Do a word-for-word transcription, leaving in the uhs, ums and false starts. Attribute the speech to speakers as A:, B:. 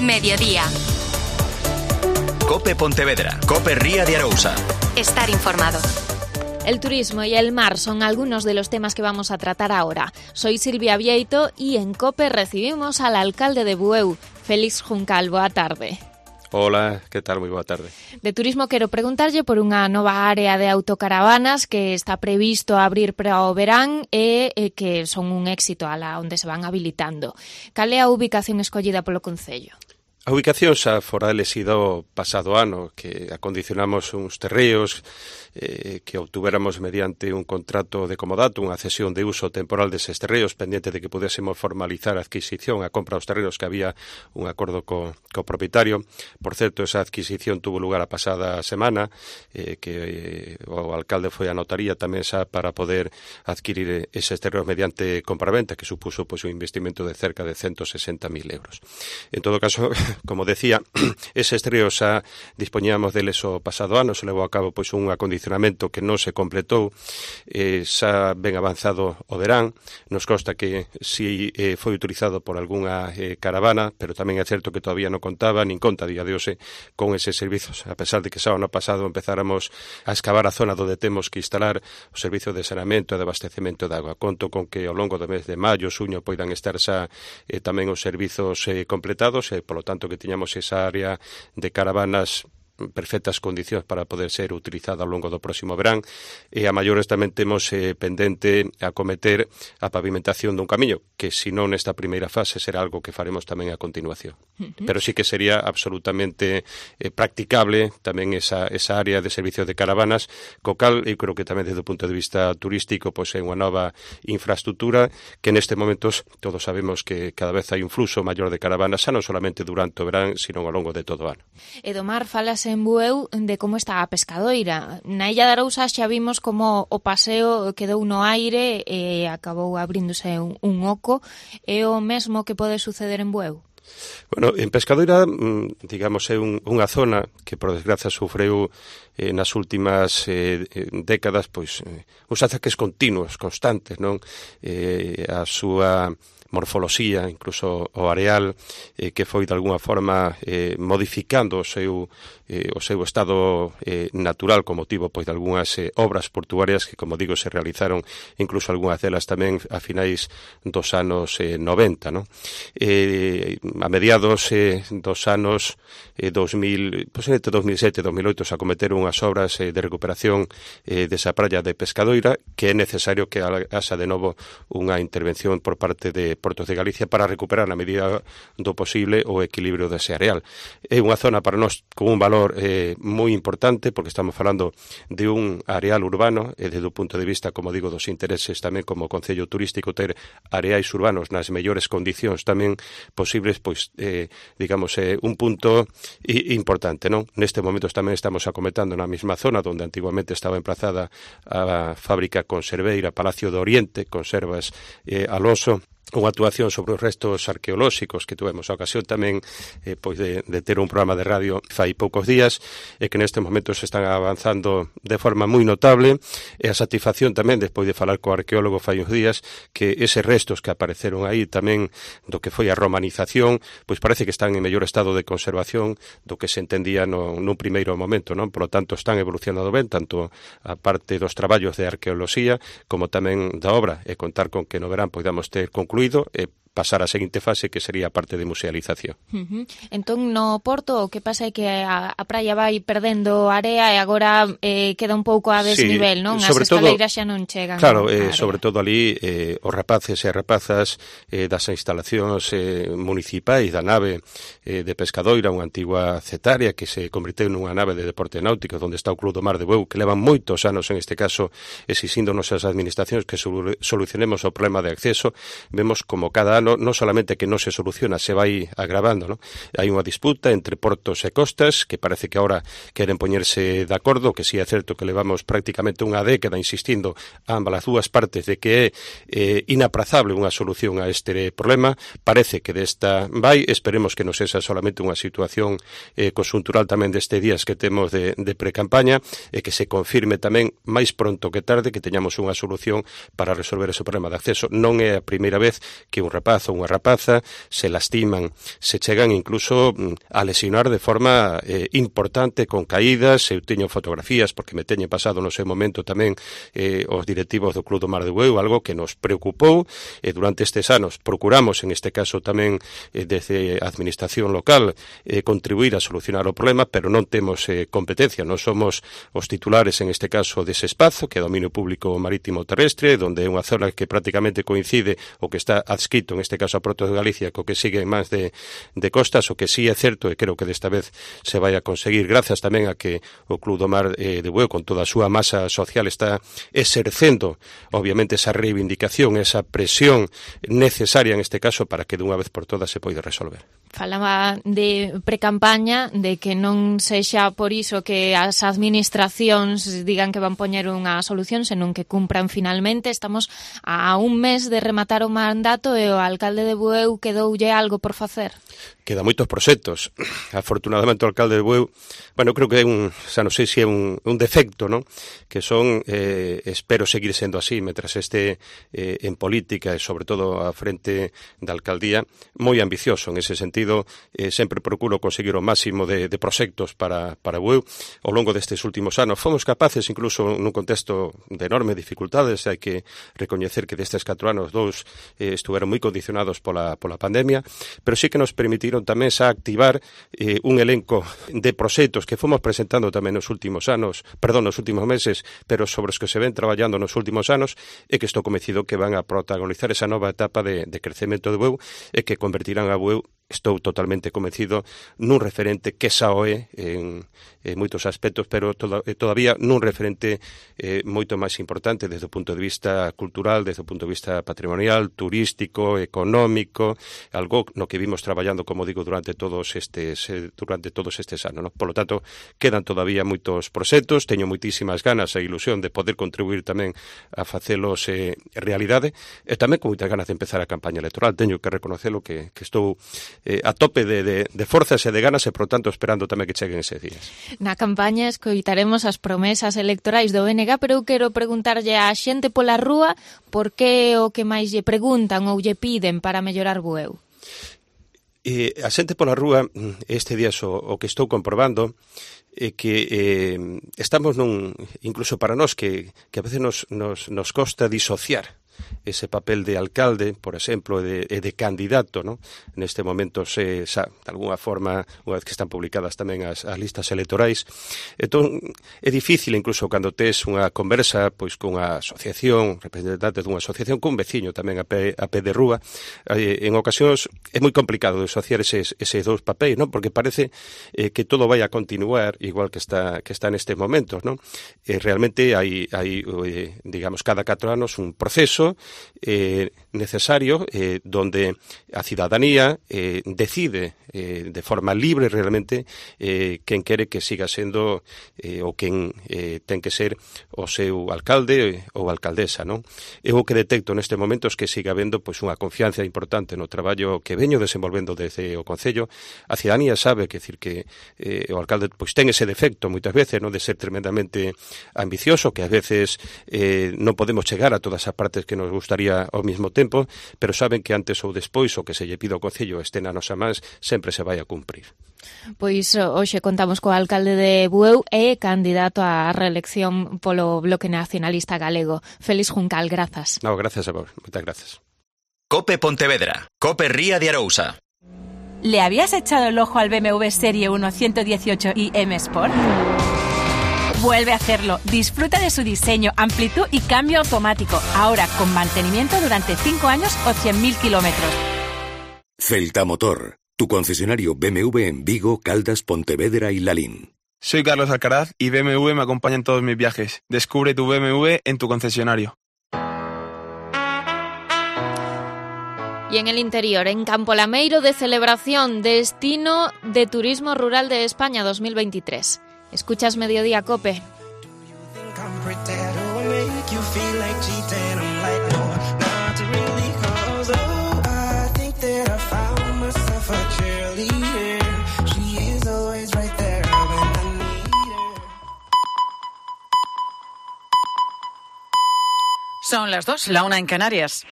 A: Mediodía.
B: Cope Pontevedra, Cope Ría de Arousa.
A: Estar informado.
C: El turismo y el mar son algunos de los temas que vamos a tratar ahora. Soy Silvia Vieito y en Cope recibimos al alcalde de Bueu, Félix Juncal. Boa tarde.
D: Hola, que tal? Moi boa tarde.
C: De turismo quero preguntarlle por unha nova área de autocaravanas que está previsto abrir para o verán e, e que son un éxito ala onde se van habilitando. Cal é a ubicación escollida polo Concello?
D: A ubicación xa fora elesido pasado ano, que acondicionamos uns terreos eh, que obtuveramos mediante un contrato de comodato, unha cesión de uso temporal deses terreos, pendiente de que pudésemos formalizar a adquisición, a compra dos terreos, que había un acordo co, co propietario. Por certo, esa adquisición tuvo lugar a pasada semana, eh, que eh, o alcalde foi a notaría tamén xa para poder adquirir eses terreos mediante compraventa, que supuso pois, un investimento de cerca de ciento sesenta mil euros. En todo caso, como decía, eses terreos xa dispoñíamos deles o pasado ano, se levou a cabo pois un acondicionamento que non se completou, eh, xa ben avanzado o verán. Nos consta que si eh, foi utilizado por algunha eh, caravana, pero tamén é certo que todavía non contaba, nin conta a día de hoxe con eses servizos, a pesar de que xa o ano pasado empezáramos a excavar a zona onde temos que instalar o servizo de saneamento e de abastecemento de agua. Conto con que ao longo do mes de maio, xuño, poidan estar xa eh, tamén os servizos eh, completados e, polo tanto, que tiñamos esa área de caravanas perfectas condicións para poder ser utilizada ao longo do próximo verán, e a maiores tamén temos eh, pendente acometer a pavimentación dun camiño, que se non nesta primeira fase será algo que faremos tamén a continuación. Uh-huh. Pero sí que sería absolutamente eh, practicable tamén esa, esa área de servicio de caravanas, co cal, eu creo que tamén desde o punto de vista turístico, pois é unha nova infraestructura que neste momentos todos sabemos que cada vez hai un fluxo maior de caravanas, xa non solamente durante o verán, sino ao longo de todo o ano.
C: E do mar falase en Bueu de como está a pescadoira. Na Illa de Arousa xa vimos como o paseo quedou no aire e acabou abríndose un, un oco. É o mesmo que pode suceder en Bueu?
D: Bueno, en Pescadoira, digamos, é un, unha zona que, por desgracia, sufreu eh, nas últimas eh, décadas, pois, eh, uns ataques continuos, constantes, non? Eh, a súa morfoloxía, incluso o areal, eh, que foi de alguna forma eh, modificando o seu, eh, o seu estado eh, natural con motivo pois, de algunhas eh, obras portuarias que, como digo, se realizaron incluso algunhas delas tamén a finais dos anos eh, noventa, non? Eh, a mediados eh, dos anos eh, dos mil, pois, entre dos mil sete e dos mil oito se acometeron unhas obras eh, de recuperación eh, desa praia de Pescadoira, que é necesario que haxa de novo unha intervención por parte de Portos de Galicia para recuperar na medida do posible o equilibrio dese areal. É unha zona para nós con un valor eh, moi importante, porque estamos falando de un areal urbano e desde o punto de vista, como digo, dos intereses tamén como Concello Turístico ter areais urbanos nas mellores condicións tamén posibles, pois, eh, digamos, eh, un punto importante, non? Neste momento tamén estamos acometando na mesma zona onde antiguamente estaba emplazada a fábrica conserveira Palacio do Oriente, Conservas eh, Alonso, unha actuación sobre os restos arqueolóxicos que tuvemos a ocasión tamén eh, pois de, de ter un programa de radio fai poucos días e que neste momento se están avanzando de forma moi notable, e a satisfacción tamén despois de falar co arqueólogo fai uns días que eses restos que apareceron aí tamén do que foi a romanización pois parece que están en mellor estado de conservación do que se entendía no, nun primeiro momento, non? Por lo tanto están evolucionando ben tanto a parte dos traballos de arqueoloxía como tamén da obra, e contar con que no verán podamos ter concluído e pasar a seguinte fase que sería a parte de musealización.
C: Uh-huh. Entón, no Porto, o que pasa é que a, a praia vai perdendo area e agora eh, queda un pouco a desnivel, sí, non? As escaleiras xa non chegan.
D: Claro, eh, sobre todo ali eh, os rapaces e rapazas eh, das instalacións eh, municipais da nave eh, de Pescadoira, unha antigua cetaria que se convirteu nunha nave de deporte náutico onde está o Club do Mar de Bueu, que levan moitos anos en este caso exixíndonos as administracións que solucionemos o problema de acceso. Vemos como cada ano non solamente que non se soluciona, se vai agravando, non? Hai unha disputa entre portos e costas que parece que agora queren poñerse de acordo, que si é certo que levamos prácticamente unha década insistindo a ambas as dúas partes de que é eh, inaprazable unha solución a este problema. Parece que desta vai, esperemos que non sexa solamente unha situación eh, consuntural tamén deste días que temos de, de pre-campaña e que se confirme tamén máis pronto que tarde que teñamos unha solución para resolver ese problema de acceso. Non é a primeira vez que un rapaz rapazo ou unha rapaza, se lastiman, se chegan incluso a lesionar de forma eh, importante con caídas. Eu teño fotografías porque me teñen pasado no seu momento tamén eh, os directivos do Club do Mar de Bueu, algo que nos preocupou e eh, durante estes anos procuramos, en este caso tamén eh, desde a administración local, eh, contribuir a solucionar o problema, pero non temos eh, competencia, non somos os titulares en este caso dese espazo, que é dominio público marítimo terrestre, donde é unha zona que prácticamente coincide o que está adscrito, en este caso a Porto de Galicia, co que sigue máis de, de costas. O que sí é certo, e creo que desta vez se vai a conseguir, grazas tamén a que o Club do Mar eh, de Bueu, con toda a súa masa social, está exercendo, obviamente, esa reivindicación, esa presión necesaria en este caso para que dunha vez por todas se poida resolver.
C: Falaba de precampaña, de que non sexa por iso que as administracións digan que van poñer unha solución, senón que cumpran finalmente. Estamos a un mes de rematar o mandato e o alcalde de Bueu quedoulle algo por facer.
D: Queda moitos proxectos. Afortunadamente o alcalde de Bueu, bueno, creo que é un, xa non sei se é un, un defecto, non? Que son, eh, espero seguir sendo así, mentras este eh, en política e sobre todo a frente da alcaldía, moi ambicioso en ese sentido. Eh, sempre procuro conseguir o máximo de, de proxectos para, para Bueu. Ao longo destes últimos anos fomos capaces, incluso nun contexto de enorme dificultades, hai que recoñecer que destes catro anos dous eh, estuveron moi condicionados pola, pola pandemia, pero sí que nos permitiron tamén xa activar eh, un elenco de proxectos que fomos presentando tamén nos últimos anos, perdón, nos últimos meses, pero sobre os que se ven traballando nos últimos anos, e que estou convencido que van a protagonizar esa nova etapa de, de crecemento de Bueu e que convertirán a Bueu, estou totalmente convencido, nun referente que xa o é en, en moitos aspectos, pero toda, todavía nun referente eh, moito máis importante desde o punto de vista cultural, desde o punto de vista patrimonial, turístico, económico, algo no que vimos traballando, como digo, durante todos estes eh, durante todos estes anos, ¿no? Por lo tanto, quedan todavía moitos proxectos, teño moitísimas ganas e ilusión de poder contribuir tamén a facelos eh, realidade, e tamén con moitas ganas de empezar a campaña electoral. Teño que reconocerlo que, que estou Eh, a tope de, de, de forzas e de ganas e, por tanto, esperando tamén que cheguen eses días.
C: Na campaña escoitaremos as promesas electorais do B N G, pero eu quero preguntarlle á xente pola rúa por que o que máis lle preguntan ou lle piden para mellorar Bueu.
D: Eh, a xente pola rúa, este día o, o que estou comprobando é que eh, estamos nun, incluso para nós, que, que a veces nos, nos, nos costa disociar ese papel de alcalde, por exemplo, e de, de candidato, ¿no? Neste momento, se, xa, de alguna forma, unha vez que están publicadas tamén as, as listas electorais, entón é difícil, incluso cando tes unha conversa pois con unha asociación, representante dunha asociación, con un veciño tamén a pé, a pé de rúa, eh, en ocasións é moi complicado disociar eses, eses dous papéis, ¿no? Porque parece eh, que todo vai a continuar igual que está que está nestes momentos, ¿no? Eh, realmente hai, hai eh, digamos, cada catro anos un proceso Eh, necesario eh, donde a cidadanía eh, decide eh, de forma libre realmente eh, quen quere que siga sendo eh, ou quen eh, ten que ser o seu alcalde ou alcaldesa, non? Eu o que detecto neste momento é que siga habendo pois unha confianza importante no traballo que veño desenvolvendo desde o Concello. A cidadanía sabe que decir que eh, o alcalde pois ten ese defecto moitas veces, non, de ser tremendamente ambicioso, que a veces eh, non podemos chegar a todas as partes que nos gustaría ao mesmo tempo, pero saben que antes ou despois o que se lle pide ao Concello este na nosa mans sempre se vai a cumprir.
C: Pois hoxe contamos co alcalde de Bueu e candidato á reelección polo Bloque Nacionalista Galego. Félix Juncal, grazas.
D: No, gracias a vos, moitas gracias.
B: Cope Pontevedra, Cope Ría de Arousa.
A: ¿Le habías echado el ojo al B M W Serie uno ciento dieciocho i M Sport? Vuelve a hacerlo. Disfruta de su diseño, amplitud y cambio automático. Ahora con mantenimiento durante cinco años o cien mil kilómetros.
E: Celta Motor, tu concesionario B M W en Vigo, Caldas, Pontevedra y Lalín.
F: Soy Carlos Alcaraz y B M W me acompaña en todos mis viajes. Descubre tu B M W en tu concesionario.
C: Y en el interior, en Campo Lameiro, de celebración, destino de turismo rural de España dos mil veintitrés. Escuchas Mediodía Cope.
G: Son las dos, la una en Canarias.